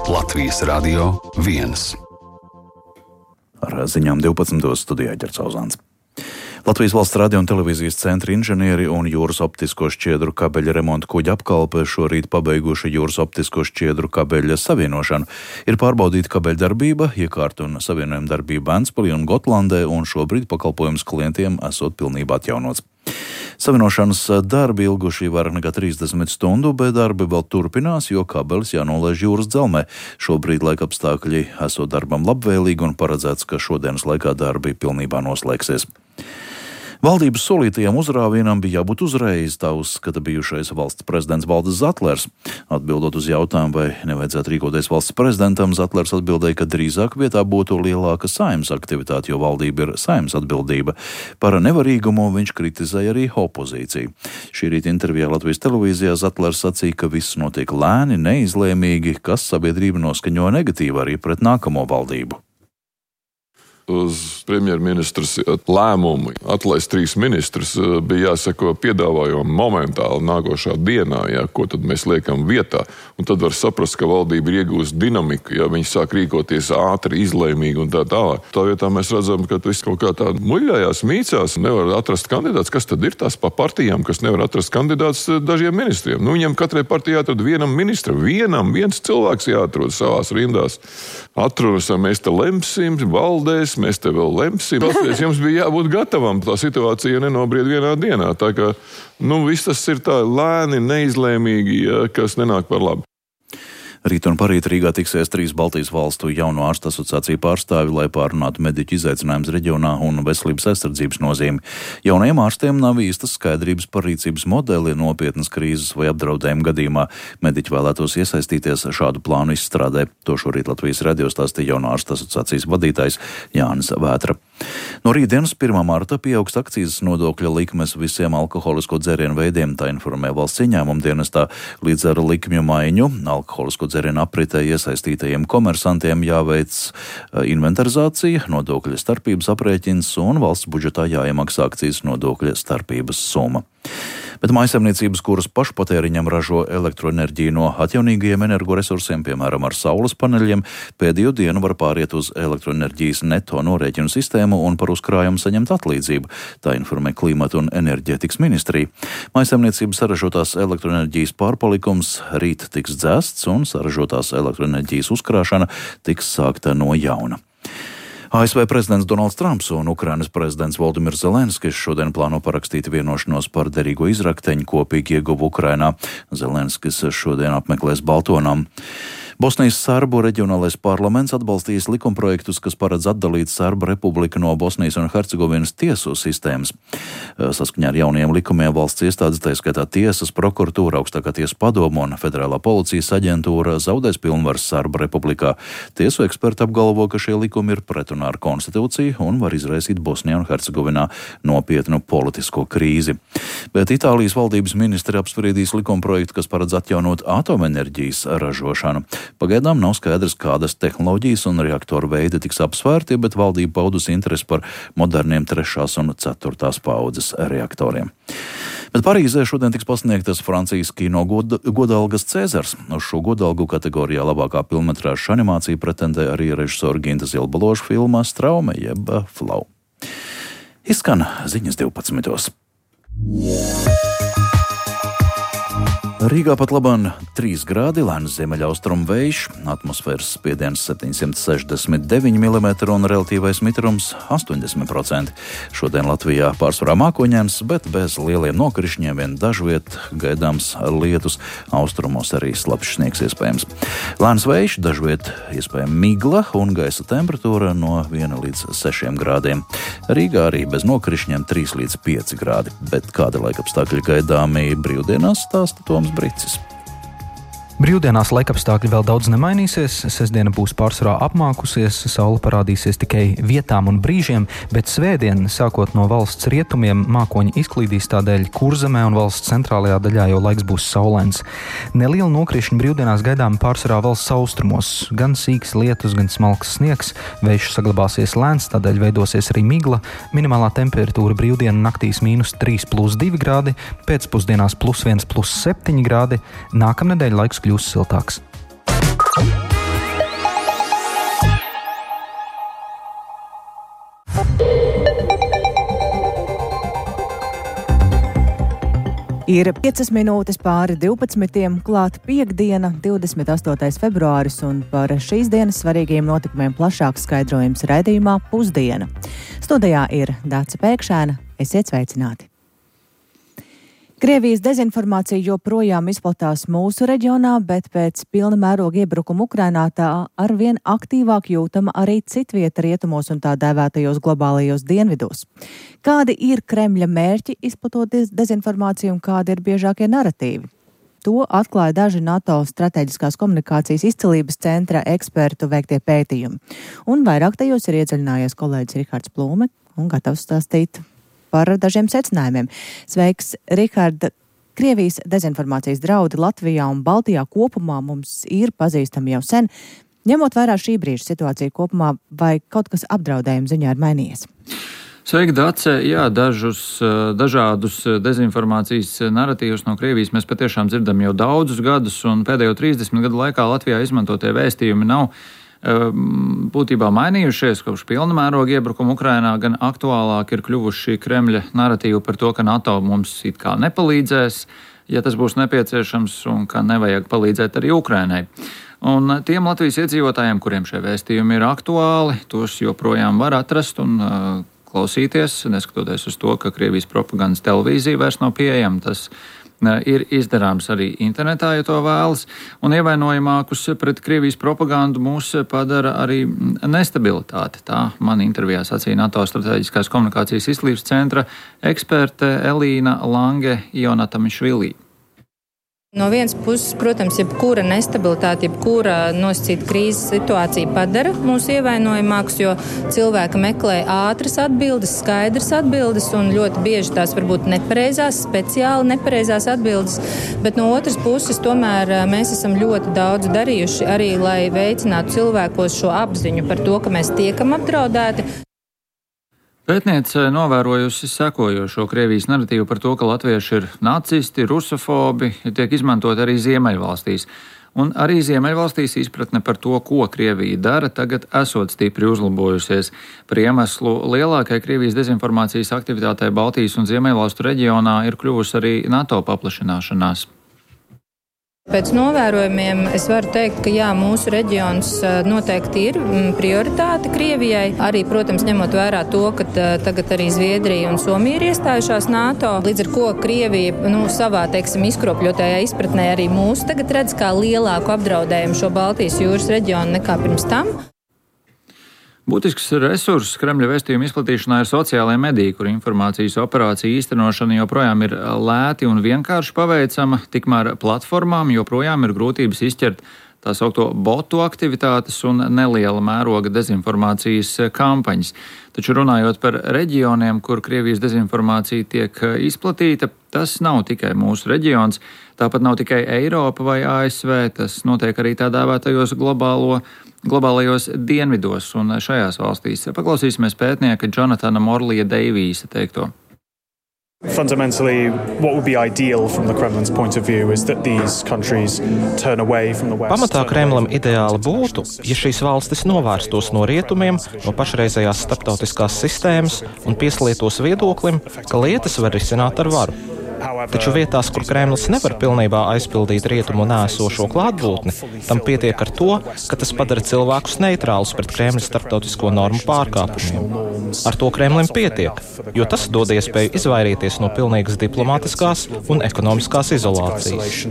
Latvijas Radio 1. Ar ziņām 12. studijā Ģerts Auzāns. Latvijas Valsts radio un televīzijas centra inženieri un jūras optisko šķiedru kabeļa remonta kuģa apkalpe šorīt pabeiguši jūras optisko šķiedru kabeļa savienošanu. Ir pārbaudīta kabeļa darbība, iekārta un savienojuma darbība Ventspilī un Gotlandē, un šobrīd pakalpojums klientiem esot pilnībā atjaunots. Savienošanas darbi ilguši vairāk nekā 30 stundu, bet darbi vēl turpinās, jo kabelis jānolaiž jūras dzelmē. Šobrīd laikapstākļi esot darbam labvēlīgi un paredzēts, ka šodienas laikā darbi pilnībā noslēgsies. Valdības solītajam uzrāvienam bija jābūt uzreiz, tā uzskata bijušais valsts prezidents Valdis Zatlers. Atbildot uz jautājumu, vai nevajadzētu rīkoties valsts prezidentam, Zatlers atbildēja, ka drīzāk vietā būtu lielāka Saeimas aktivitāte, jo valdība ir Saeimas atbildība. Par nevarīgumu viņš kritizēja arī opozīciju. Šī rīta intervijā Latvijas televīzijā Zatlers sacīja, ka viss notiek lēni, neizlēmīgi, kas sabiedrība noskaņo negatīvi arī pret nākamo valdību. Uz premjerministras lēmumu atlaist 3 ministrus bija jāsako piedāvājumu momentāli nākošā dienā, ko tad mēs liekam vietā. Un tad var saprast, ka valdība ir iegūst dinamiku, viņi sāk rīkoties ātri, izlēmīgi un tā tālāk. Tā vietā mēs redzam, ka viss kaut kā tā muļļājās, mīcās, nevar atrast kandidāts. Kas tad ir tās pa partijām, kas nevar atrast kandidāts dažiem ministriem? Viņam katrai partijai jāatrod vienam ministram, viens cilvēks jāatrod savās rindās. Atrunas, mēs te lemsim, valdēs, mēs te vēl lemsim. Tāpēc jums bija jābūt gatavam. Tā situācija nenobried vienā dienā. Tā kā, viss tas ir tā lēni, neizlēmīgi, kas nenāk par labu. Rīt un parīt Rīgā tiksies 3 Baltijas valstu jauno ārstu asociāciju pārstāvi, lai pārunātu mediķu izaicinājumus reģionā un veselības aizsardzības nozīmi. Jaunajiem ārstiem nav īstas skaidrības par rīcības modeli nopietnas krīzes vai apdraudējuma gadījumā. Mediķi vēlētos iesaistīties šādu plānu izstrādē. To šorīt Latvijas radio stāstīja jauno ārstu asociācijas vadītājs Jānis Vētra. No rītdienas 1. marta pieaugs akcīzes nodokļa likmes visiem alkoholisko dzērienu veidiem, tā informē valsts ieņēmuma dienestā. Līdz ar likmju maiņu alkoholisko dzērienu apritē iesaistītajiem komersantiem jāveic inventarizācija, nodokļa starpības aprēķins un valsts budžetā jāiemaksā akcīzes nodokļa starpības summa. Bet mājsaimniecības, kuras pašpatēriņam ražo elektroenerģiju no atjaunīgajiem energoresursiem, piemēram ar saules paneļiem, pēdējo dienu var pāriet uz elektroenerģijas neto norēķinu sistēmu un par uzkrājumu saņemt atlīdzību. Tā informē Klimata un enerģētikas ministrija. Mājsaimniecības saražotās elektroenerģijas pārpalikums rīt tiks dzēsts un saražotās elektroenerģijas uzkrāšana tiks sākta no jauna. ASV prezidents Donalds Trumps un Ukrainas prezidents Voldimirs Zelenskis šodien plāno parakstīt vienošanos par derīgo izrakteņu kopīgi ieguvu Ukrainā. Zelenskis šodien apmeklēs Baltonām. Bosnijas Serbu reģionālais parlaments atbalstījis likumprojektus, kas paredz atdalīt Serbu republiku no Bosnijas un Hercegovinas tiesu sistēmas. Saskaņā ar jaunajiem likumiem valsts iestādes, tā skaitā tiesas, prokuratūra, augstākā tiesa padoma un federālā policijas aģentūra zaudēs pilnvaras Serbu republikā. Tiesu eksperti apgalvo, ka šie likumi ir pretrunā ar konstitūciju un var izraisīt Bosnijā un Hercegovinā nopietnu politisko krīzi. Bet Itālijas valdības ministri apspriedīs likumprojektu, kas paredz atjaunot atomenerģijas ražošanu. Pagaidām nav skaidrs, kādas tehnoloģijas un reaktoru veidi tiks apsvērti, bet valdība paudusi interesi par moderniem 3. un 4. paudzes reaktoriem. Bet Parīzē šodien tiks pasniegtas Francijas kino godalgas Cēzars. Uz šo godalgu kategorijā labākā filmmetrāžas animācija pretendē arī režisora Ginta Zilbaloša filmā Straume jeb Flau. Izskan ziņas 12. Rīgā pat labāk 3 grādi, lēns ziemeļaustrumu vējš, atmosfēras spiediens 769 mm un relatīvais mitrums 80%. Šodien Latvijā pārsvarā mākoņdienas, bet bez lieliem nokrišņiem, vien dažviet gaidāms lietus, austrumos arī slapjš sniegs iespējams. Lēns vējš, dažviet iespējama migla un gaisa temperatūra no 1 līdz 6 grādiem. Rīgā arī bez nokrišņiem 3 līdz 5 grādi, bet kādi laikapstākļi gaidāmi brīvdienās stāsta Toms Bricis. Brīvdienās laikapstākļi vēl daudz nemainīsies, sestdiena būs pārsvarā apmākusies, saule parādīsies tikai vietām un brīžiem, bet svētdien, sākot no valsts rietumiem, mākoņi izklīdīs, tādēļ Kurzemē un valsts centrālajā daļā jau laiks būs saulains. Neliela nokrišņa brīvdienās gaidām pārsvarā valsts austrumos, gan sīks lietus, gan smalks sniegs, vējš saglabāsies lēns, tādēļ veidosies arī migla, minimālā temperatūra brīvdienu naktīs -3+2 grādi, pēcpusdienās +1+7 grādi, nākamnedēļ laiks kļūs siltāks. Ir 5 minūtes pāri 12, klāt piektdiena, 28. februāris, un par šīs dienas svarīgiem notikumiem plašāks skaidrojums raidījumā Pusdiena. Studijā ir Dāca Pēkšēna. Esiet sveicināti! Krievijas dezinformācija joprojām izplatās mūsu reģionā, bet pēc pilna mēroga iebrukuma Ukrainā tā arvien aktīvāk jūtama arī citvieta rietumos un tā dēvētajos globālajos dienvidos. Kādi ir Kremļa mērķi izplatot dezinformāciju un kādi ir biežākie naratīvi? To atklāja daži NATO strateģiskās komunikācijas izcilības centra ekspertu veiktie pētījumi. Un vairāk tajos ir iedziļinājies kolēģis Rihards Plūme un gatavs stāstīt par dažiem secinājumiem. Sveiks, Rihard! Krievijas dezinformācijas draudi Latvijā un Baltijā kopumā mums ir pazīstami jau sen. Ņemot vērā šī brīža situāciju kopumā, vai kaut kas apdraudējuma ziņā ir mainījies? Sveiki, Dace! Jā, dažādus dezinformācijas naratīvus no Krievijas mēs patiešām dzirdam jau daudzus gadus, un pēdējo 30 gadu laikā Latvijā izmantotie vēstījumi nav būtībā mainījušies kopš pilna mēroga iebrukuma Ukrainā, gan aktuālāk ir kļuvuši Kremļa naratīvi par to, ka NATO mums it kā nepalīdzēs, ja tas būs nepieciešams, un ka nevajag palīdzēt arī Ukrainai. Un tiem Latvijas iedzīvotājiem, kuriem šie vēstījumi ir aktuāli, tos joprojām var atrast un klausīties, neskatoties uz to, ka Krievijas propagandas televīzija vairs nav pieejama. Tas ir izdarāms arī internetā, ja to vēlas, un ievainojamākus pret Krievijas propagandu mūs padara arī nestabilitāte. Tā man intervijā sacīja NATO strateģiskās komunikācijas izcilības centra eksperte Elīna Lange-Jonatamišvili. No vienas puses, protams, jebkura nestabilitāte, jebkura nosacīta krīzes situācija padara mūs ievainojamākus, jo cilvēki meklē ātras atbildes, skaidras atbildes, un ļoti bieži tās varbūt nepareizās, speciāli nepareizās atbildes. Bet no otras puses, tomēr mēs esam ļoti daudz darījuši arī, lai veicinātu cilvēkos šo apziņu par to, ka mēs tiekam apdraudēti. Pētniece novērojusi sekojošo Krievijas naratīvu par to, ka latvieši ir nacisti, rusofobi, tiek izmantot arī Ziemeļvalstīs. Un arī Ziemeļvalstīs izpratne par to, ko Krievija dara, tagad esot stipri uzlabojusies. Par iemeslu lielākai Krievijas dezinformācijas aktivitātei Baltijas un Ziemeļvalstu reģionā ir kļuvusi arī NATO paplašināšanās. Pēc novērojumiem es varu teikt, ka jā, mūsu reģions noteikti ir prioritāte Krievijai. Arī, protams, ņemot vērā to, ka tagad arī Zviedrija un Somija ir iestājušās NATO. Līdz ar ko Krievija savā, izkropļotajā izpratnē arī mūs tagad redz kā lielāku apdraudējumu šo Baltijas jūras reģionu nekā pirms tam. Būtisks resurss Kremļa vēstījuma izplatīšanā ir sociālajie mediji, kur informācijas operācija īstenošana joprojām ir lēti un vienkārši paveicama, tikmēr platformām joprojām ir grūtības izķert tā saukto botu aktivitātes un neliela mēroga dezinformācijas kampaņas. Taču runājot par reģioniem, kur Krievijas dezinformācija tiek izplatīta, tas nav tikai mūsu reģions, tāpat nav tikai Eiropa vai ASV, tas notiek arī tā dēvētajos globālajos dienvidos un šajās valstīs. Paklausīsimies pētnieka Jonathana Morlija Deivīsa teikto. Fundamentally, what would be ideal from the Kremlin's point of view is that these countries turn away from the West. Pamatā Kremlim ideāli būtu, ja šīs valstis novērstos no rietumiem, no pašreizējās starptautiskās sistēmas un pieslietos viedoklim, ka lietas var risināt ar varu. Taču vietās, kur Kremlis nevar pilnībā aizpildīt rietumu nēsošo klātbūtni, tam pietiek ar to, ka tas padara cilvēkus neitrālus pret Kremļa starptautisko normu pārkāpumiem. Ar to Kremlim pietiek, jo tas dod iespēju izvairīties no pilnīgas diplomātiskās un ekonomiskās izolācijas.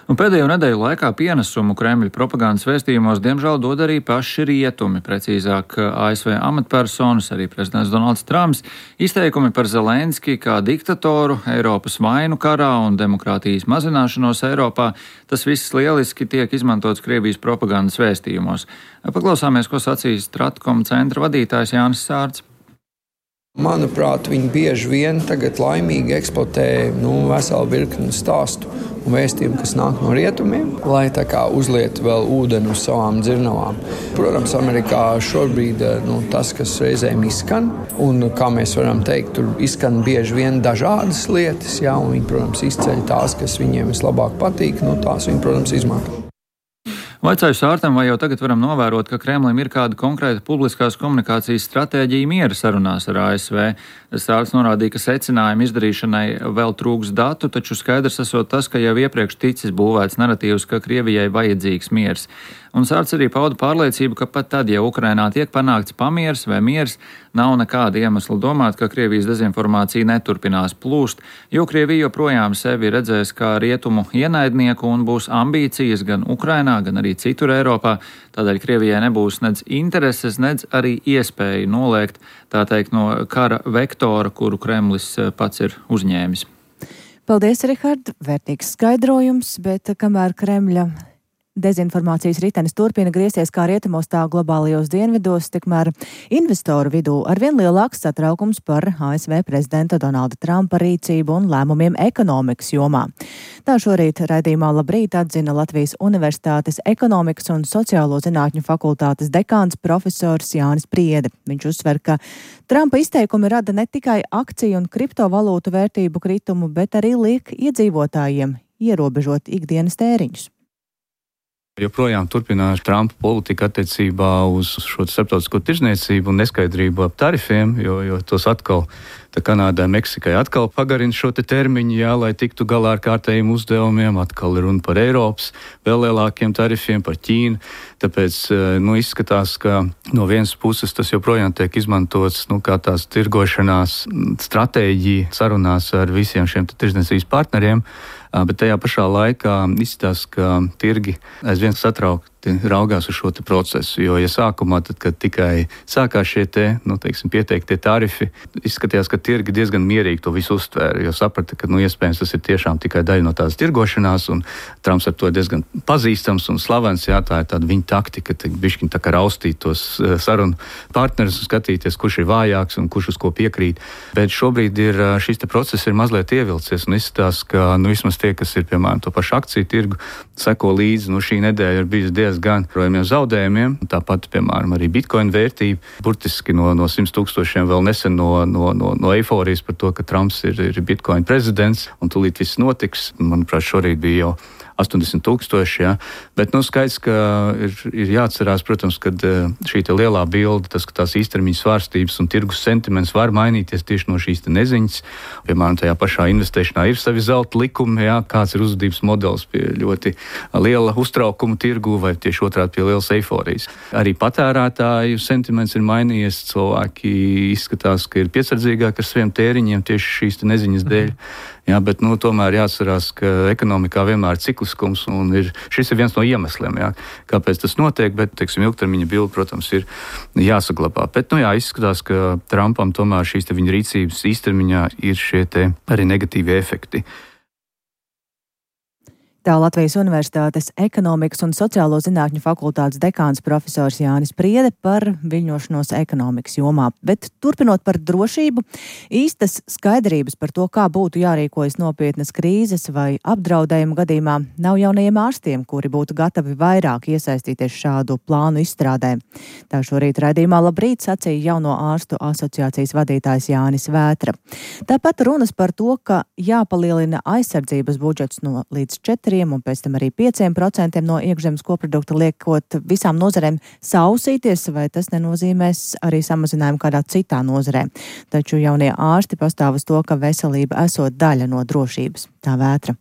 Un pēdējo nedēļu laikā pienesumu Kremļa propagandas vēstījumos diemžēl dod arī paši rietumi, precīzāk ASV amatpersonas, arī prezidents Donalds Trumps, izteikumi par Zelenski kā diktatoru, Eiropas vainu karā un demokrātijas mazināšanos Eiropā. Tas viss lieliski tiek izmantots Krievijas propagandas vēstījumos. Paklausāmies, ko sacīs Stratkom centra vadītājs Jānis Sārts. Manuprāt, viņi bieži vien tagad laimīgi eksploatē veselu virkni stāstu un vēstījumu, kas nāk no rietumiem, lai tā kā uzliet vēl ūdeni uz savām dzirnavām. Protams, Amerikā šobrīd tas, kas reizēm izskan, un kā mēs varam teikt, tur izskan bieži vien dažādas lietas, jā, un viņi, protams, izceļ tās, kas viņiem vislabāk patīk, tās viņi, protams, izmanto. Vaicāju Sārtam, vai jau tagad varam novērot, ka Kremlim ir kāda konkrēta publiskās komunikācijas stratēģija miera sarunās ar ASV. Sārts norādīja, ka secinājumu izdarīšanai vēl trūks datu, taču skaidrs esot tas, ka jau iepriekš ticis būvēts naratīvs, ka Krievijai vajadzīgs miers. Un Sārts arī pauda pārliecību, ka pat tad, ja Ukrainā tiek panākts pamiers vai miers, nav nekāda iemesla domāt, ka Krievijas dezinformācija neturpinās plūst, jo Krievija joprojām sevi redzēs kā rietumu ienaidnieku un būs ambīcijas gan Ukrainā, gan arī citur Eiropā. Tādēļ Krievijai nebūs nedz intereses, nedz arī iespēja noliegt, tā teikt, no kara vektora, kuru Kremlis pats ir uzņēmis. Paldies, Rihard, vērtīgs skaidrojums, bet kamēr Kremļa dezinformācijas ritenis turpina griezties kā rietumos, tā globālajos dienvidos, tikmēr investoru vidū arvien lielāks satraukums par ASV prezidenta Donalda Trumpa rīcību un lēmumiem ekonomikas jomā. Tā šorīt raidījumā Labrīt atzina Latvijas Universitātes ekonomikas un sociālo zinātņu fakultātes dekāns profesors Jānis Priede. Viņš uzsver, ka Trumpa izteikumi rada ne tikai akciju un kriptovalūtu vērtību kritumu, bet arī liek iedzīvotājiem ierobežot ikdienas tēriņus. Joprojām turpinās Trumpa politika attiecībā uz šo starptautisko tirdzniecību un neskaidrību ap tarifiem, jo tos atkal Kanādai, Meksikai atkal pagarina šo termiņu, lai tiktu galā ar kārtējiem uzdevumiem, atkal ir runa par Eiropas vēl lielākiem tarifiem, par Ķīnu. Tāpēc izskatās, ka no vienas puses tas joprojām tiek izmantots kā tās tirgošanās stratēģija sarunās ar visiem šiem tirdzniecības partneriem, bet tajā pašā laikā izskatās, ka tirgi aizvien satraukti raugās uz šo procesu, jo ja sākumā, tad, kad tikai sākās šie pieteiktie tarifi, izskatījās, ka tirgi diezgan mierīgi to visu uztvēra, jo saprata, ka iespējams tas ir tiešām tikai daļa no tādas tirgošanās, un Trumps ar to diezgan pazīstams un slavens, tā ir tāda viņa taktika, bišķiņ tā kā raustīt tos sarunu partnerus un skatīties, kurš ir vājāks un kurš uz ko piekrīt. Bet šobrīd šis process ir mazliet ievilcies, un izskatās, ka vismaz tie, kas ir, piemēram, to pašu akciju tirgu, seko līdzi, šī nedēļa ir bijusi diezgan projām zaudējumiem. Tāpat, piemēram, arī bitcoin vērtība, burtiski no 100,000 vēl nesen no eiforijas par to, ka Trumps ir bitcoin prezidents un tūlīt viss notiks. Manuprāt, šorīt bija jau 80,000, bet skaidrs, ka ir jāatcerās, protams, ka šī lielā bilde, tas, ka tās īstermiņa svārstības un tirgus sentiments var mainīties tieši no šīs neziņas. Piemēram, tajā pašā investēšanā ir savi zelta likumi, kāds ir uzvedības modelis pie ļoti liela uztraukuma tirgu vai tieši otrādi pie lielas eiforijas. Arī patērētāju sentiments ir mainījies, cilvēki izskatās, ka ir piesardzīgāki ar saviem tēriņiem tieši šīs neziņas dēļ. Bet tomēr jāatcerās, ka ekonomikā vienmēr ir cikliskums, un šis ir viens no iemesliem, kāpēc tas notiek, bet, ilgtermiņa bilde, protams, ir jāsaglabā. Bet, izskatās, ka Trumpam tomēr šīs viņa rīcības īstermiņā ir šie arī negatīvi efekti. Tā Latvijas Universitātes ekonomikas un sociālo zinātņu fakultātes dekāns profesors Jānis Priede par viļņošanos ekonomikas jomā. Bet turpinot par drošību, īstas skaidrības par to, kā būtu jārīkojas nopietnas krīzes vai apdraudējuma gadījumā, nav jaunajiem ārstiem, kuri būtu gatavi vairāk iesaistīties šādu plānu izstrādē. Tā šorīt raidījumā Labrīt sacīja Jauno ārstu asociācijas vadītājs Jānis Vētra. Tāpat runas par to, ka jāpalielina aizsardzības budžets no līdz 4% un pēc tam arī 5% no iekšzemes koprodukta, liekot visām nozarēm sausīties, vai tas nenozīmēs arī samazinājumu kādā citā nozarē. Taču jaunie ārsti pastāv uz to, ka veselība esot daļa no drošības. Tā Vētra.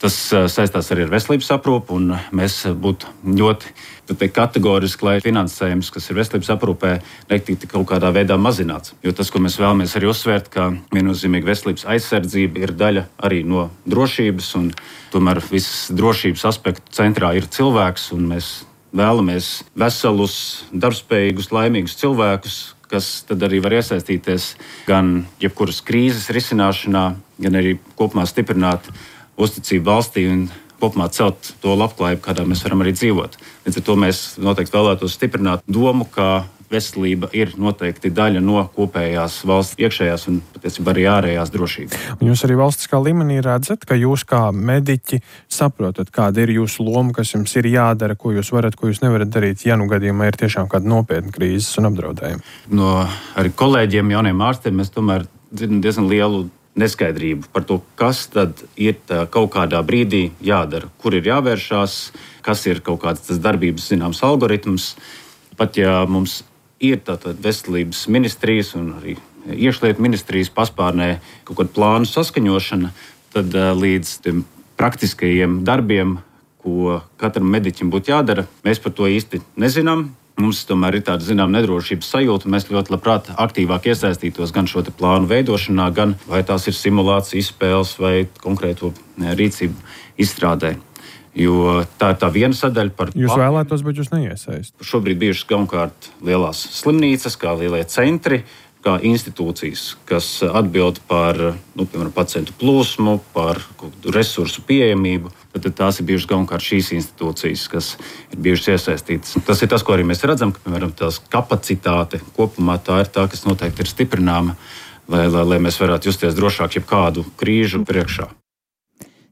Tas saistās arī ar veselības aprūpu, un mēs būtu ļoti kategoriski, lai finansējums, kas ir veselības aprūpē, netiktu kaut kādā veidā mazināts. Jo tas, ko mēs vēlamies arī uzsvērt, ka viennozīmīgi veselības aizsardzība ir daļa arī no drošības, un tomēr visas drošības aspektu centrā ir cilvēks, un mēs vēlamies veselus, darbspējīgus, laimīgus cilvēkus, kas tad arī var iesaistīties gan jebkuras krīzes risināšanā, gan arī kopumā stiprināt uzticību valstī un kopumā celt to labklājību, kādā mēs varam arī dzīvot. Līdz ar to mēs noteikti vēlētos stiprināt domu, ka veselība ir noteikti daļa no kopējās valsts iekšējās un patiesībā arī ārējās drošības. Un jūs arī valstiskā līmenī redzat, ka jūs kā mediķi saprotat, kāda ir jūsu loma, kas jums ir jādara, ko jūs varat, ko jūs nevarat darīt, ja gadījumā ir tiešām kāda nopietna krīzes un apdraudējuma. No arī kolēģiem, jauniem ārstiem, mēs tomēr dzirdam diezgan lielu neskaidrību par to, kas tad ir kaut kādā brīdī jādara, kur ir jāvēršās, kas ir kaut kāds tas darbības zināms algoritms. Pat ja mums ir tātad veselības ministrijas un arī iekšlietu ministrijas paspārnē kaut kāda plānu saskaņošana, tad līdz tiem praktiskajiem darbiem, ko katram mediķim būtu jādara, mēs par to īsti nezinām. Mums tomēr ir tāda zināma nedrošības sajūta, un mēs ļoti labprāt aktīvāk iesaistītos gan šo plānu veidošanā, gan vai tās ir simulācijas izspēles vai konkrēto rīcību izstrādē. Jo tā ir tā viena sadaļa par... Jūs vēlētos, bet jūs neiesaistat. Šobrīd bijušas galvenokārt lielās slimnīcas, kā lielie centri, kā institūcijas, kas atbild par piemēram, pacientu plūsmu, par resursu pieejamību. Tad tās ir bijušas galvenokārt šīs institūcijas, kas ir bijušas iesaistītas. Tas ir tas, ko arī mēs redzam, ka piemēram, tās kapacitāte kopumā tā ir tā, kas noteikti ir stiprināma, lai mēs varētu justies drošāk jebkādu krīžu priekšā.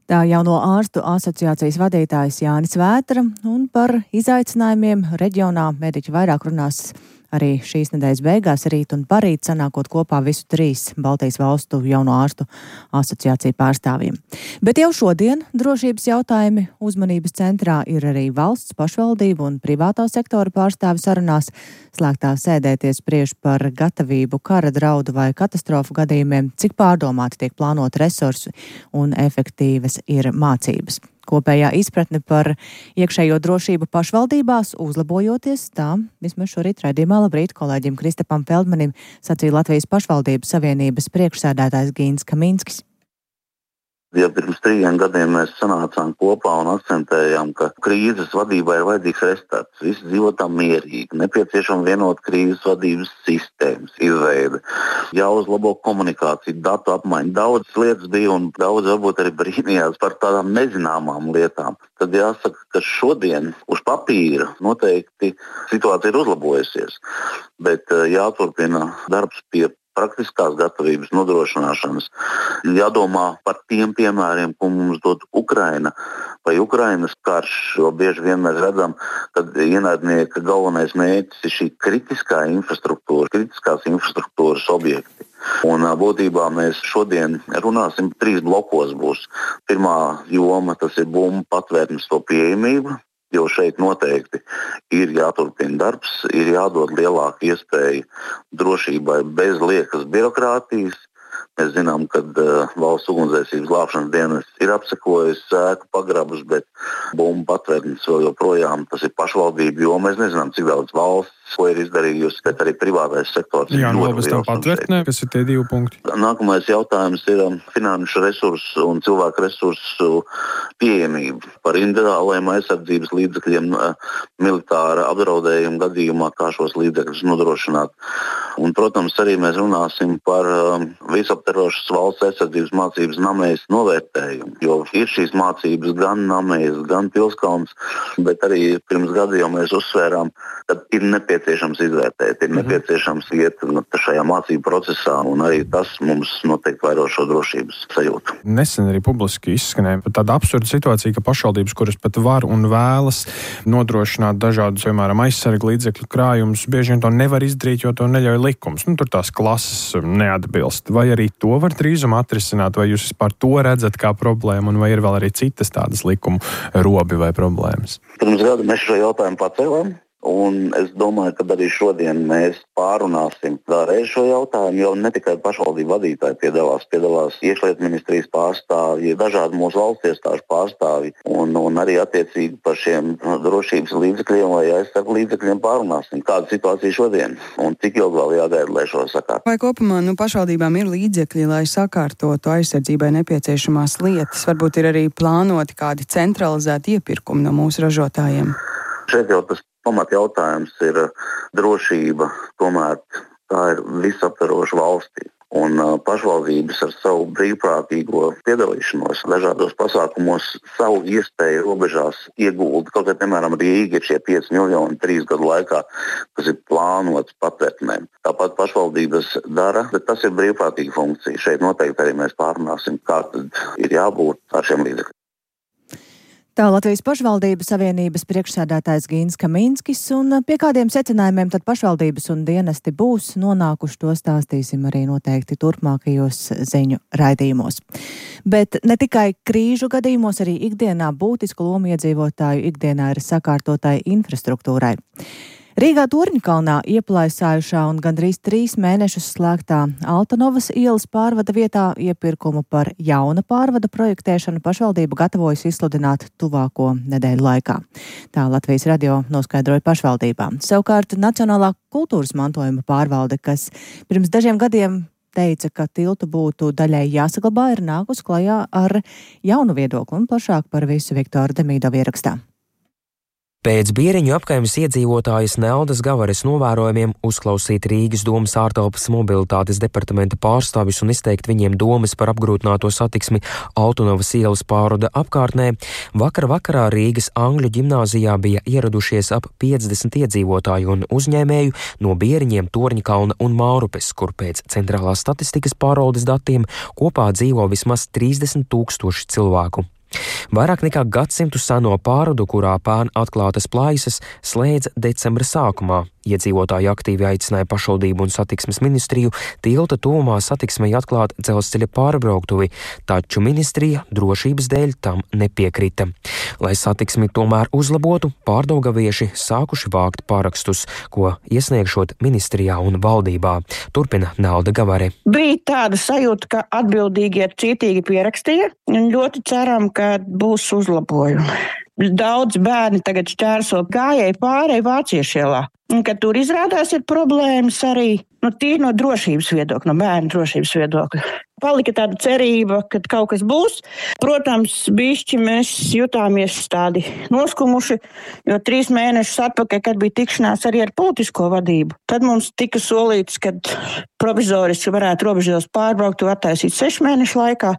Tā Jauno ārstu asociācijas vadītājs Jānis Vētra, un par izaicinājumiem reģionā mediķi vairāk runās arī šīs nedēļas beigās, rīt un parīt, sanākot kopā visu 3 Baltijas valstu Jauno ārstu asociāciju pārstāvjiem. Bet jau šodien drošības jautājumi uzmanības centrā ir arī valsts, pašvaldību un privātā sektora pārstāvi sarunās. Slēgtā sēdē tie spriež par gatavību kara draudu vai katastrofu gadījumiem, cik pārdomāti tiek plānot resursi un efektīvas ir mācības. Kopējā izpratne par iekšējo drošību pašvaldībās uzlabojoties, tā vismaz šorīt raidījumā Labrīt kolēģim Kristapam Feldmanim sacīja Latvijas pašvaldību savienības priekšsēdētājs Gīns Kaminskis. Ja pirms 3 gadiem mēs sanācām kopā un akcentējām, ka krīzes vadībā ir vajadzīgs restarts, visi dzīvotām mierīgi, nepieciešama vienota krīzes vadības sistēmas izveide, jāuzlabo komunikācija, datu apmaiņa. Daudz lietas bija un daudz varbūt arī brīnījās par tādām nezināmām lietām. Tad jāsaka, ka šodien uz papīra noteikti situācija ir uzlabojusies, bet jāturpina darbs pie praktiskās gatavības nodrošināšanas. Jādomā par tiem piemēriem, ko mums dod Ukraina vai Ukrainas karš, jo bieži vien mēs redzam, ka ienaidnieka galvenais mērķis ir šī kritiskās infrastruktūras objekti. Un būtībā mēs šodien runāsim 3 blokos būs. Pirmā joma, tas ir bumbu patvērtnes to pieejamību, jo šeit noteikti ir jāturpina darbs, ir jādod lielāka iespēja drošībai bez liekas birokrātijas. Mēs zinām, ka valsts ugunsdzēsības glābšanas dienests ir apsekojis ēku pagrabus, bet bumbu patvērtnes vēl joprojām tas ir pašvaldību, jo mēs nezinām, cik daudz valsts ko ir izdarījusi, bet arī privātais sektors. Jā, vēl bez tam patvērtnē, kas ir tie 2 punkti. Nākamais jautājums ir finanšu resursu un cilvēku resursu pieejamība. Par individuālajiem aizsardzības līdzekļiem militāra apdraudējuma gadījumā, kā šos līdzekļus nodrošināt. Un, protams, arī mēs runāsim par visaptverošas valsts aizsardzības mācības Namējas novērtējumu, jo ir šīs mācības gan Namējas, gan Pilskalns, bet arī pirms gada jau mēs uzsvērām, ka ir nepieciešams izvērtēt, ir nepieciešams iet šajā mācību procesā, un arī tas mums noteikti vairo šo drošības sajūtu. Nesen arī publiski izskanēja tāda absurda situācija, ka pašvaldības, kuras pat var un vēlas nodrošināt dažādus, piemēram, aizsargu līdzekļu krājumus, bieži vien to nevar izdarīt, jo to neļauj likums. Tur tās klases neatbilst. Vai arī to var drīzumā atrisināt, vai jūs vispār to redzat kā problēmu, un vai ir vēl arī citas tādas likumu robi vai problēmas? Pirms gada mēs šo jautājumu pacēlām. Un es domāju, ka arī šodien mēs pārunāsim vēlreiz šo jautājumu, jo ne tikai pašvaldību vadītāji piedalās iekšlietu ministrijas pārstāvji, dažādi mūsu valsts iestāžu pārstāvji, un arī attiecīgi par šiem drošības līdzekļiem vai aizsargu līdzekļiem pārunāsim. Kāda situācija šodien un cik ilgi vēl jāgaida, lai šo sakārtu? Vai kopumā pašvaldībām ir līdzekļi, lai sakārtotu aizsardzībai nepieciešamās lietas? Varbūt ir arī plānoti kādi centralizēti iepirkumi no mūsu ražotājiem? Šeit jau tas pamat jautājums ir drošība, tomēr tā ir visaptveroša valstī. Un pašvaldības ar savu brīvprātīgo piedalīšanos dažādos pasākumos savu iespēju robežās iegulda. Kaut kā, piemēram, Rīga ir šie 5 miljoni 3 gadu laikā, kas ir plānots patvērtnēm. Tāpat pašvaldības dara, bet tas ir brīvprātīga funkcija. Šeit noteikti arī mēs pārunāsim, kā tad ir jābūt ar šiem līdzekļiem. Tā Latvijas pašvaldības savienības priekšsēdētājs Gīns Kaminskis, un pie kādiem secinājumiem tad pašvaldības un dienesti būs nonākuši, to stāstīsim arī noteikti turpmākajos ziņu raidījumos. Bet ne tikai krīžu gadījumos, arī ikdienā būtisku lomu iedzīvotāju ikdienā ir sakārtotai infrastruktūrai. Rīgā Torņakalnā ieplaisājušā un gandrīz 3 mēnešus slēgtā Altanovas ielas pārvada vietā iepirkumu par jauna pārvada projektēšanu pašvaldība gatavojas izsludināt tuvāko nedēļu laikā. Tā Latvijas radio noskaidroja pašvaldībām. Savukārt Nacionālā kultūras mantojuma pārvalde, kas pirms dažiem gadiem teica, ka tiltu būtu daļai jāsaglabā, ir nākus klajā ar jaunu viedokli un plašāk par visu Viktora Demīdova ierakstā. Pēc Bieriņu apkaimes iedzīvotājas Neldas Gavares novērojumiem uzklausīt Rīgas domas ārtelpas mobilitātes departamenta pārstāvis un izteikt viņiem domas par apgrūtināto satiksmi Altanovas ielas pārvada apkārtnē, vakarā Rīgas Angļu ģimnāzijā bija ieradušies ap 50 iedzīvotāju un uzņēmēju no Bieriņiem, Torņakalna un Mārupes, kur pēc centrālās statistikas pārvaldes datiem kopā dzīvo vismaz 30 000 cilvēku. Vairāk nekā gadsimtu seno pārvadu, kurā pērn atklātas plaisas, slēdza decembra sākumā. Iedzīvotāji aktīvi aicināja pašvaldību un satiksmes ministriju tilta tuvumā satiksmei atklāt dzelzceļa pārbrauktuvi, taču ministrija drošības dēļ tam nepiekrita. Lai satiksmi tomēr uzlabotu, pārdaugavieši sākuši vākt pārakstus, ko iesniegšot ministrijā un valdībā. Turpina Nelda Gavare. Bija tāda sajūta, ka atbildīgie cītīgi pierakstīja un ļoti ceram, ka būs uzlabojumi. Daudz bērni tagad šķērso gājēju pārēju Vāciešu ielā. Un, kad tur izrādās ir problēmas arī, tīri no drošības viedokļa, no bērnu drošības viedokļa. Palika tāda cerība, ka kaut kas būs. Protams, bišķi mēs jutāmies tādi noskumuši, jo 3 mēnešus atpakaļ, kad bija tikšanās arī ar politisko vadību, tad mums tika solīts, ka provizoriski varētu robežos pārbraukt un attaisīt 6 mēnešu laikā.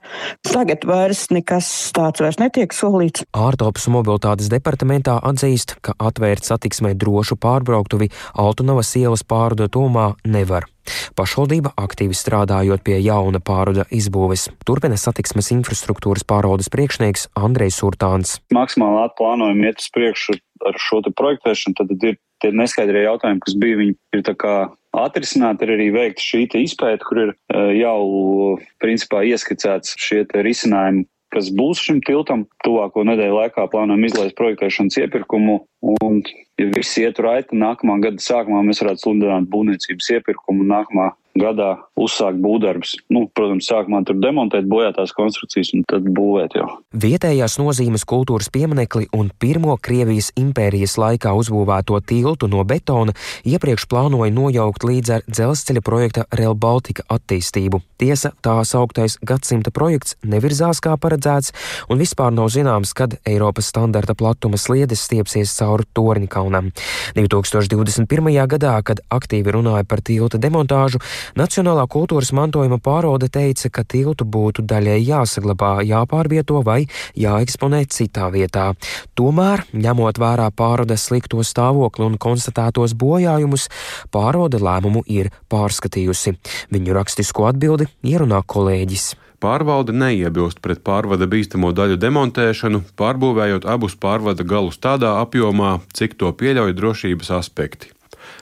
Tagad vairs nekas tāds vairs netiek solīts. Ārtelpas mobilitātes departamentā atzīst, ka atvērt satiksmē drošu pārbrauktuvi Altanovas ielas pārvada tuvumā nevar. Pašvaldība aktīvi strādājot pie jauna pārvada izbūves. Turpina satiksmes infrastruktūras pārvaldes priekšnieks Andrejs Urtāns. Maksimāli atplānojumi iet uz priekšu ar šo te projektēšanu, tad ir tie neskaidrie jautājumi, kas bija, viņi ir tā kā atrisināti, ir arī veikta šī te izpēta, kur ir jau principā ieskicēts šie te risinājumi, kas būs šim tiltam. Tuvāko nedēļu laikā plānojam izlaist projektēšanas iepirkumu, un, ja viss iet raiti, nākamā gada sākumā mēs varētu sludināt būvniecības iepirkumu un nākamā gadā uzsākt būvdarbus. Protams, sākumā tur demontēt bojātās konstrukcijas un tad būvēt jau. Vietējās nozīmes kultūras pieminekli un pirmo Krievijas impērijas laikā uzbūvēto tiltu no betona iepriekš plānoja nojaukt līdz ar dzelzceļa projekta Rail Baltica attīstību. Tiesa, tā sauktais gadsimta projekts nevirzās kā paredzēts, un vispār nav zināms, kad Eiropas standarta platuma sliedes stiepsies cauri Torņakalnam. 2021. gadā, kad aktīvi runāja par tilta demontāžu, Nacionālā kultūras mantojuma pārvalde teica, ka tiltu būtu daļai jāsaglabā, jāpārvieto vai jāeksponē citā vietā. Tomēr, ņemot vērā pārvaldes slikto stāvokli un konstatētos bojājumus, pārvalde lēmumu ir pārskatījusi. Viņu rakstisko atbildi ierunā kolēģis. Pārvalde neiebilst pret pārvada bīstamo daļu demontēšanu, pārbūvējot abus pārvada galus tādā apjomā, cik to pieļauj drošības aspekti.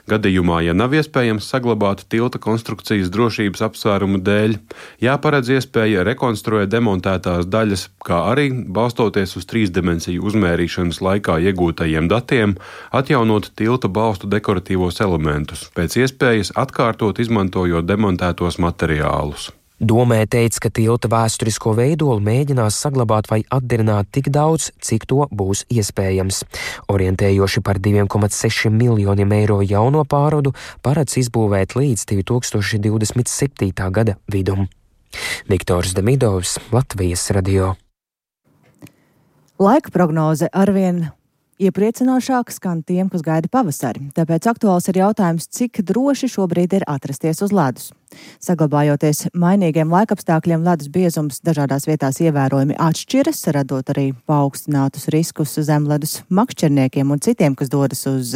Gadījumā, ja nav iespējams saglabāt tilta konstrukcijas drošības apsvērumu dēļ, jāparedz iespēja rekonstruēt demontētās daļas, kā arī, balstoties uz 3-dimensiju uzmērīšanas laikā iegūtajiem datiem, atjaunot tilta balstu dekoratīvos elementus, pēc iespējas atkārtot izmantojot demontētos materiālus. Domē teica, ka tilta vēsturisko veidolu mēģinās saglabāt vai atdarināt tik daudz, cik to būs iespējams. Orientējoši par 2,6 miljoniem eiro jauno pārvadu paredz izbūvēt līdz 2027. gada vidum. Viktors Demīdovs, Latvijas radio. Laika prognoze arvien iepriecinošāk skan tiem, kas gaida pavasari. Tāpēc aktuāls ir jautājums, cik droši šobrīd ir atrasties uz ledus. Saglabājoties mainīgiem laikapstākļiem, ledus biezums dažādās vietās ievērojami atšķiras, radot arī paaugstinātus riskus zemledus makšķerniekiem un citiem, kas dodas uz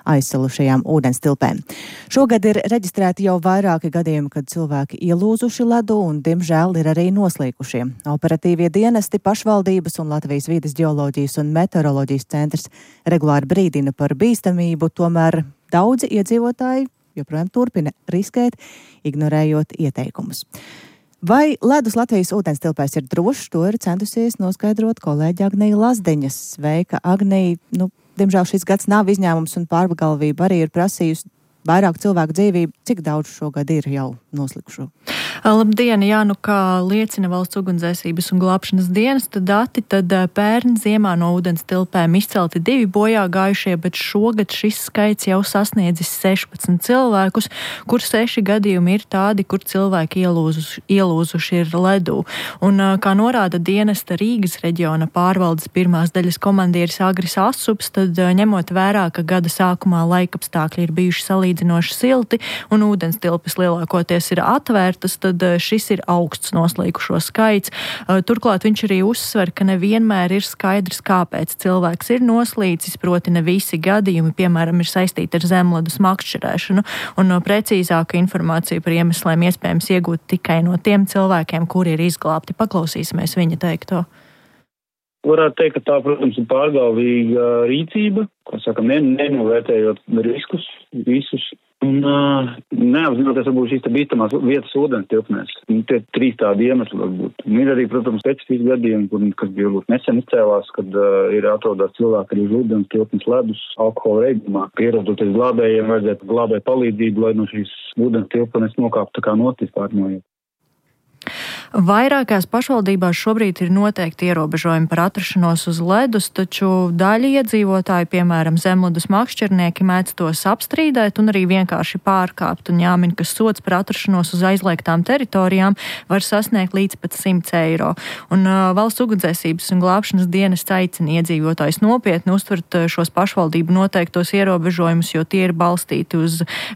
aizsalušajām ūdenstilpēm. Šogad ir reģistrēti jau vairāki gadījumi, kad cilvēki ielūzuši ledu un, diemžēl, ir arī noslīkušie. Operatīvie dienesti, pašvaldības un Latvijas vides geoloģijas un meteoroloģijas centrs regulāri brīdina par bīstamību, tomēr daudzi iedzīvotāji joprojām turpina riskēt, ignorējot ieteikumus. Vai ledus Latvijas ūdenstilpēs ir drošs, to ir centusies noskaidrot kolēģi Agnija Lazdeņa. Sveika, Agnija! Diemžēl šis gads nav izņēmums un pārpagalvība arī ir prasījusi vairāk cilvēku dzīvību. Cik daudz šogad ir jau noslikušo? Labdien! Jā, kā liecina Valsts ugunsdzēsības un glābšanas dienesta dati, tad pērn ziemā no ūdenstilpēm izcelti 2 bojā gājušie, bet šogad šis skaits jau sasniedzis 16 cilvēkus, kur 6 gadījumi ir tādi, kur cilvēki ielūzuši ir ledū. Un, kā norāda dienesta Rīgas reģiona pārvaldes pirmās daļas komandieris Agris Asups, tad ņemot vērā, ka gada sākumā laikapstākļi ir bijuši salīdzinoši silti un ūdenstilpes lielākoties ir atvērtas, tad šis ir augsts noslīkušo skaits. Turklāt viņš arī uzsver, ka nevienmēr ir skaidrs, kāpēc cilvēks ir noslīcis, proti ne visi gadījumi, piemēram, ir saistīti ar zemledus makšķerēšanu, un precīzāku informāciju par iemesliem iespējams iegūt tikai no tiem cilvēkiem, kuri ir izglābti. Paklausīsimies viņa teikto. Varētu teikt, ka tā, protams, ir pārgalvīga rīcība, ko sakam, nenovērtējot riskus visus. Un neapzinoties varbūt šīs bīstamās vietas ūdenstilpnēs. Tie 3 tādi iemesli varbūt. Un ir arī, protams, specifiski gadījumi, kas bija varbūt nesen izcēlās, kad ir atrodās cilvēki arī uz ūdenstilpnes ledus alkohola reibumā. Pierodoties glābējiem, vajadzētu glābēt palīdzību, lai no šīs ūdenstilpnes nokāptu tā kā notis pārmojot. Vairākās pašvaldībās šobrīd ir noteikti ierobežojumi par atrašanos uz ledus, taču daļa iedzīvotāji, piemēram, zemledus makšķernieki, mēdz tos apstrīdēt un arī vienkārši pārkāpt. Un jāmin, ka sods par atrašanos uz aizliegtām teritorijām var sasniegt līdz pat 100 eiro. Un Valsts ugunsdzēsības un glābšanas dienests aicina iedzīvotājus nopietni uztvert šos pašvaldību noteiktos ierobežojumus, jo tie ir balstīti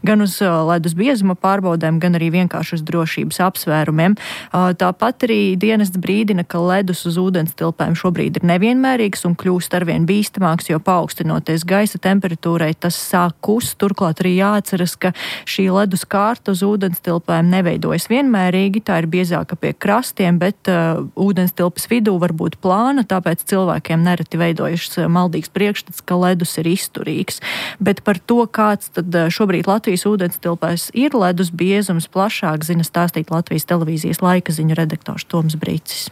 gan uz ledus biezuma pārbaudēm, gan arī vienkārši uz drošības apsvērumiem. Tāpat arī dienests brīdina, ka ledus uz ūdenstilpēm šobrīd ir nevienmērīgs un kļūst arvien bīstamāks, jo paaugstinoties gaisa temperatūrai tas sāk kust. Turklāt arī jāatceras, ka šī ledus kārta uz ūdenstilpēm neveidojas vienmērīgi, tā ir biezāka pie krastiem, bet ūdenstilpes vidū var būt plāna, tāpēc cilvēkiem nereti veidojas maldīgs priekšstats, ka ledus ir izturīgs. Bet par to, kāds tad šobrīd Latvijas ūdenstilpēs ir ledus biezums, plašāk zina stāstīt Latvijas televīzijas laika ziņu redaktors Toms Brīcis.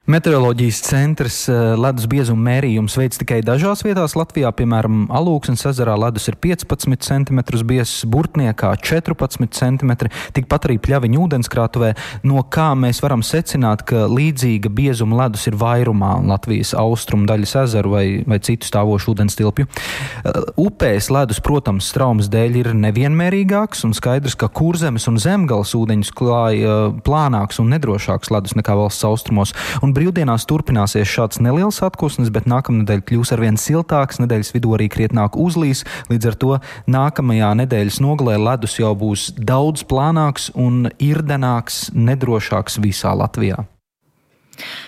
Meteoroloģijas centrs ledus biezuma mērījums veids tikai dažās vietās Latvijā, piemēram, Alūksnes ezerā ledus ir 15 cm biezs, Burtniekā 14 cm, tikpat arī Pļaviņu ūdenskrātuvē, no kā mēs varam secināt, ka līdzīga biezuma ledus ir vairumā Latvijas austrumu daļas ezeru vai citu stāvošu ūdenstilpju. Upēs ledus, protams, straumes dēļ ir nevienmērīgāks un skaidrs, ka Kurzemes un Zemgales ūdeņus klāja plānāks un nedrošāks ledus nekā valsts austrumos. Un brīvdienās turpināsies šāds neliels atkusnis, bet nākamnedēļ kļūs arvien siltāks, nedēļas vidū arī krietnāk uzlīs, līdz ar to nākamajā nedēļas nogalē ledus jau būs daudz plānāks un irdenāks, nedrošāks visā Latvijā.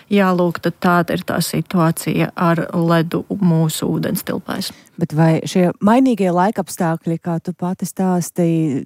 Jā, lūk, tad tāda ir tā situācija ar ledu mūsu ūdenstilpēs. Bet vai šie mainīgie laikapstākļi, kā tu pati stāstīji,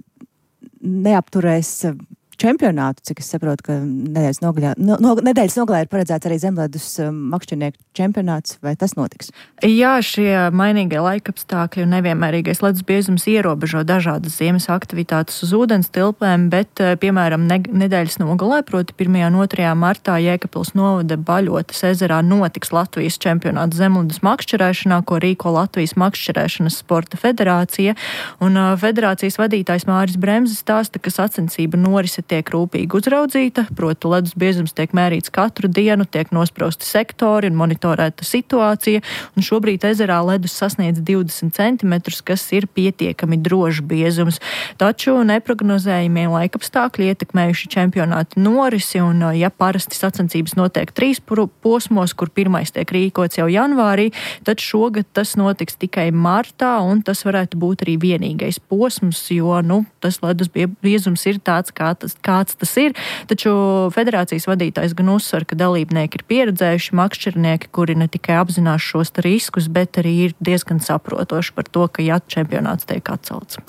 neapturēs čempionātu, cik es saprotu, ka nedēļas nogalē ir paredzēts arī zemledus makšķernieku čempionāts, vai tas notiks? Jā, šie mainīgie laikapstākļi un nevienmērīgais ledus biezums ierobežo dažādas ziemas aktivitātes uz ūdenstilpēm, bet, piemēram, nedēļas nogalē, proti 1. un 2. martā Jēkabpils novada Baļotas ezerā notiks Latvijas čempionāts zemledus makšķerēšanā, ko rīko Latvijas makšķerēšanas sporta federācija, un federācijas vadītājs Māris Bremzes stāsta, ka sacensība norise tiek rūpīgi uzraudzīta, proti ledus biezums tiek mērīts katru dienu, tiek nosprosti sektori un monitorēta situācija, un šobrīd ezerā ledus sasniedz 20 cm, kas ir pietiekami drošs biezums. Taču neprognozējumie laikapstākļi ietekmējuši čempionāta norisi, un ja parasti sacensības notiek 3 posmos, kur pirmais tiek rīkots jau janvārī, tad šogad tas notiks tikai martā, un tas varētu būt arī vienīgais posms, jo, tas ledus biezums ir tāds, kāds tas ir. Taču federācijas vadītājs gan uzsver, ka dalībnieki ir pieredzējuši makšķernieki, kuri ne tikai apzinās šos riskus, bet arī ir diezgan saprotoši par to, ka čempionāts tiek atcelts.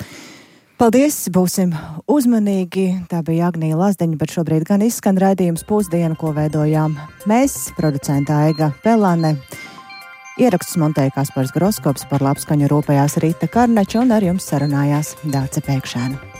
Paldies, būsim uzmanīgi. Tā bija Agnija Lazdeņa, bet šobrīd gan izskan raidījums Pusdiena, ko veidojām mēs, producenta Aiga Pelāne. Ierakstus montēja Kaspars Groskops, par labskaņu rūpējās Rīta Karnača un ar jums sarunājās Dāce Pēkšēna.